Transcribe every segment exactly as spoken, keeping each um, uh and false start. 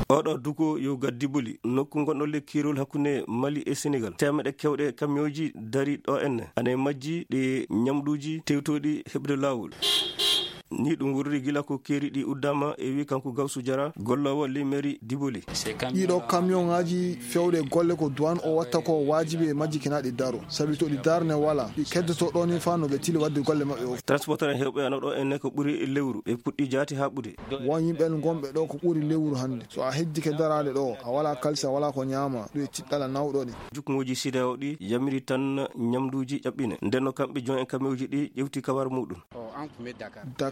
Oɗo duko yo gaddi boli nokku gonɗo le kiirol hakkunde Mali e Senegal. Temeɗe kewɗe kamiyooji dari ɗo enne. Ana e majji ɗe ñamɗuuji tewtooɗi heɓde laawol. Ni ɗum wurri gila ko keeri ɗi uddama, e wi kanko Gawsu Jara, golloowo ley mairie Diboli. Ɗiɗo kamiyonŋaaji fewɗe golle ko duwan o watta ko waajibi e majji kina ɗi daro. Sabi to ɗi darne wala, ɗi keddoto ɗo ni faa no ɓe tili waɗde golle maɓɓe o. Transporteur en heewɓe ana ɗo enne ko ɓuri lewru, ɓe puɗɗi jaati haa ɓude. Won yimɓe gonɓe ɗo ko ɓuri lewru hannde. So a heddike daraade ɗo, a wala kalisa, wala ko ñaama, ɗum e tiɗɗala nawɗo ɗi. Jukngooji sideao ɗi yamiri tan ñamduuji ƴaɓɓine. Ndenno kamɓe jon e kamewji ɗi ƴewti kabar muɗum.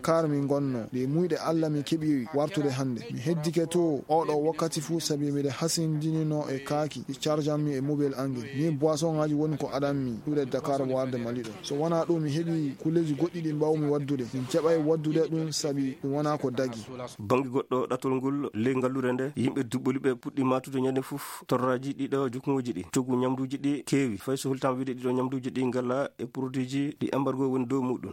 Dakar min gonno, ɗe muyɗe Alla mi keɓi wartude hannde. Mi heddike to oɗo wakkati fuu sabi miɗe hasindinino e kaaki, ɗi charjan mi e mobile angel. Min boisson ŋaaji woni ko adan mi ɗuuɗe Dakar warde Mali ɗo. So wonaa ɗum, mi heɓi kulleeji goɗɗi ɗi mbawmi waddude. Min keɓay waddude ɗum sabi ɗum wonaa ko dagi. Bannge goɗɗo ɗatol ngol, ley ngalluure nde, yimɓe duɓɓoli ɓe puɗɗi matude ñande fof torraaji ɗiɗo jukngooji ɗi. Coggu ñamduuji ɗi keewi, fay so hultaama wiide ɗiɗo ñamduuji ɗi ngala e produitji ɗi embargo woni dow muɗum.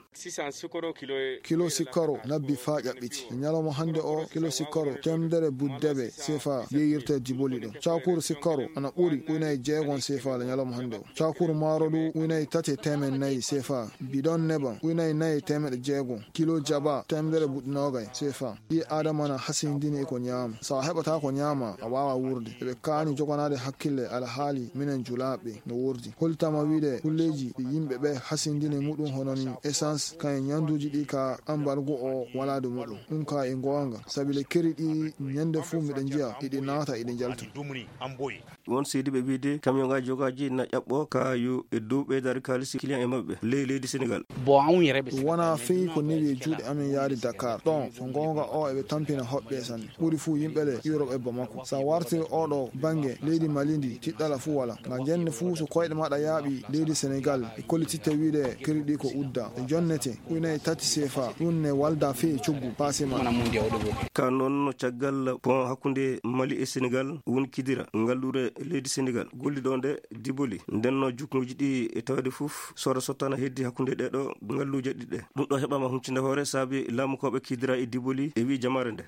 Kilo sikkoro nabbi faa ƴaɓɓiti. E ñalawma hannde o, kilo sikkoro teemedere buddebe sefa yeeyirte Diboli ɗo. Cakuru sikkoro ana ɓuri uynay jeegon sefa le ñalawma hannde o. Cakuru maaro ɗu uynay tati e teemed nayi sefa. Bidon neban uynay nayi e teemeɗe jeegon. Kilo jaba teemedere buɗɗi noogay sefa. Ɓii Aadama na hasindini e ko ñaama. So a heɓataa ko ñaama, a waawaa wuurde. Eɓe kaani joganaade hakkille alhaali minen julaaɓe no wuurdi. Holtama wiide kulleeji ɗi yimɓe ɓe hasindini muɗum hono ni essence, kañum ñanduuji ɗi ka ambargo o walaade muɗum. Ɗum ka e goonga, sabi le keri ɗi ñande fuu miɗo njiya iɗi naata iɗi njalta. Won seediiɓe wiide kamiyonŋaaji jogaaji na ƴaɓɓo ka yo e dow ɓeydaade kaalisi client e maɓɓe ley leydi Senegal. Wonaa fii ko newi e juuɗe amen yaade Dakar. Ɗon, so goonga o eɓe tampina hoɓɓe sanne. Ɓuri fuu yimɓe le Europe e Bamako. Sa wartiri oɗo bannge leydi Mali ndi, tiɗɗala fuu wala. Nga jenne fuu so koyɗe maɗa yaaɓi leydi Senegal, e kollititte wiide keri ɗi ko udda. E jonnete, uynay tati sefa, ɗum ne walda fii e coggu paase maɗa. Ka noon, caggal pont hakkunde Mali e Senegal, woni Kidira, ngalluure leydi Senegal, golliɗo nde Diboli. Ndenno jukngooji ɗi e tawde fof, sooda sottana heddi hakkunde ɗee ɗo ngalluuje ɗiɗi ɗe. Ɗum ɗo heɓaama huncinde hoore saabi laamukooɓe Kidira e Diboli e wi jamaare nde.